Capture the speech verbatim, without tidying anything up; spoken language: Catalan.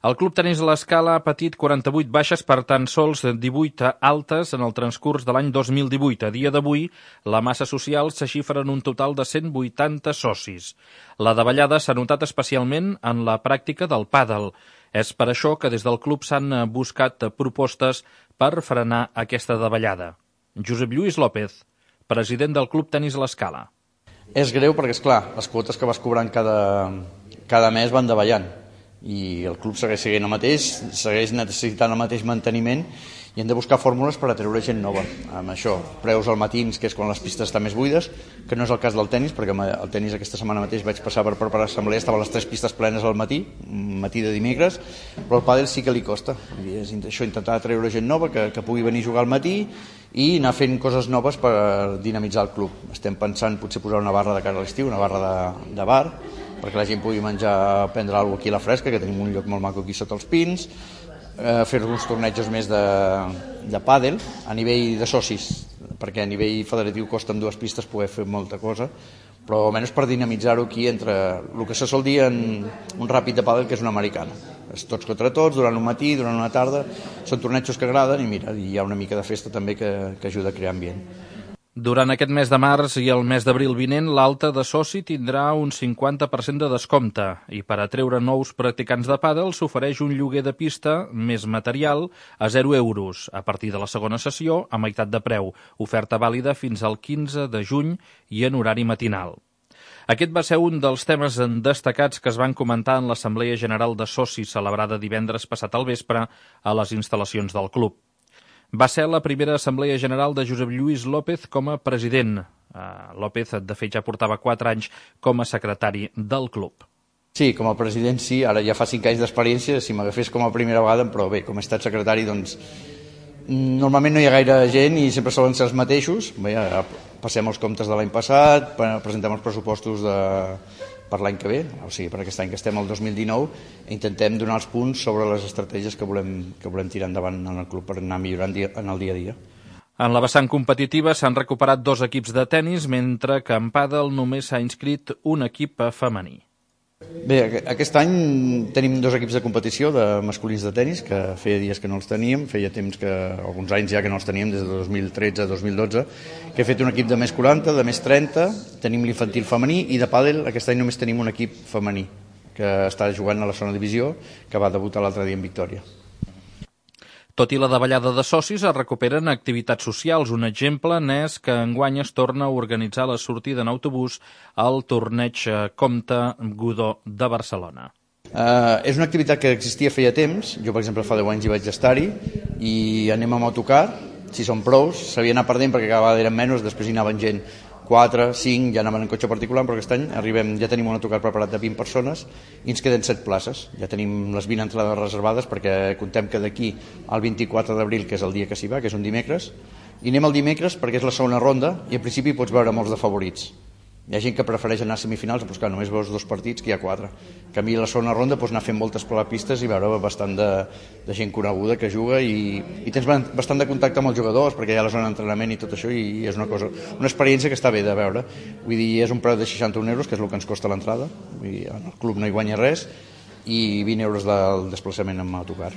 El Club Tenis L'Escala ha patit quaranta-vuit baixes per tan sols divuit altes en el transcurs de l'any dos mil divuit. A dia d'avui, la massa social se xifra en un total de cent vuitanta socis. La davallada s'ha notat especialment en la pràctica del pàdel. És per això que des del club s'han buscat propostes per frenar aquesta davallada. Josep Lluís López, president del Club Tenis L'Escala. És greu perquè, esclar, les quotes que vas cobrant cada, cada mes van davallant i el club segueix seguint el mateix, segueix necessitant el mateix manteniment i hem de buscar fórmules per atreure gent nova. Amb això, preus al matins, que és quan les pistes estan més buides, que no és el cas del tennis, perquè el tennis aquesta setmana mateix vaig passar per preparar assemblea, estaven les tres pistes plenes al matí, matí de dimecres, però el pàdel sí que li costa. I és això, intentar atreure gent nova que, que pugui venir a jugar al matí i anar fent coses noves per dinamitzar el club. Estem pensant potser posar una barra de cara a l'estiu, una barra de, de bar, perquè la gent pugui menjar, prendre alguna cosa aquí a la fresca, que tenim un lloc molt maco aquí sota els pins, eh, fer uns tornejos més de, de pàdel a nivell de socis, perquè a nivell federatiu costa en dues pistes poder fer molta cosa, però almenys per dinamitzar-ho aquí entre el que se sol dir en un ràpid de pàdel, que és una americana. És tots contra tots, durant un matí, durant una tarda, són tornejos que agraden i mira, hi ha una mica de festa també que, que ajuda a crear ambient. Durant aquest mes de març i el mes d'abril vinent, l'alta de soci tindrà un cinquanta per cent de descompte i per atreure nous practicants de pàdel s'ofereix un lloguer de pista més material a zero euros a partir de la segona sessió a meitat de preu, oferta vàlida fins al quinze de juny i en horari matinal. Aquest va ser un dels temes destacats que es van comentar en l'Assemblea General de Socis celebrada divendres passat al vespre a les instal·lacions del club. Va ser la primera Assemblea General de Josep Lluís López com a president. López, de fet, ja portava quatre anys com a secretari del club. Sí, com a president sí, ara ja fa cinc anys d'experiència, si m'agafés com a primera vegada, però bé, com he estat secretari, doncs normalment no hi ha gaire gent i sempre solen ser els mateixos. Bé, passem els comptes de l'any passat, presentem els pressupostos de, per l'any que ve, o sigui, per aquest any que estem al dos mil dinou, i intentem donar els punts sobre les estratègies que volem, que volem tirar endavant en el club per anar millorant en el dia a dia. En la vessant competitiva s'han recuperat dos equips de tennis, mentre que en pàdel només s'ha inscrit un equip femení. Bé, aquest any tenim dos equips de competició de masculins de tennis, que feia dies que no els teníem, feia temps que, alguns anys ja que no els teníem, des de dos mil tretze a dos mil dotze, que he fet un equip de més quaranta, de més trenta, tenim l'infantil femení, i de pàdel aquest any només tenim un equip femení, que està jugant a la segona divisió, que va debutar l'altre dia en victòria. Tot i la davallada de socis, es recuperen activitats socials. Un exemple n'és que enguany es torna a organitzar la sortida en autobús al torneig Comte Godó de Barcelona. Uh, és una activitat que existia feia temps, jo per exemple fa deu anys hi vaig estar-hi, i anem amb autocar, si són prous, s'havia anat perdent perquè cada vegada eren menys, després hi anaven gent quatre, cinc, ja anaven en cotxe particular, però aquest any arribem, ja tenim un autocar preparat de vint persones i ens queden set places. Ja tenim les vint entrades reservades perquè contem que d'aquí al vint-i-quatre d'abril, que és el dia que s'hi va, que és un dimecres, i anem el dimecres perquè és la segona ronda i en principi pots veure molts de favorits. Hi ha gent que prefereix anar a semifinals, però clar, només veus dos partits, que hi ha quatre. En canvi, a la segona ronda pots anar fent moltes pistes i veure bastant de, de gent coneguda que juga i, i tens bastant de contacte amb els jugadors perquè hi ha la zona d'entrenament i tot això i és una cosa, una experiència que està bé de veure. Vull dir, és un preu de seixanta-un euros, que és el que ens costa l'entrada, el club no hi guanya res, i vint euros del desplaçament amb autocar.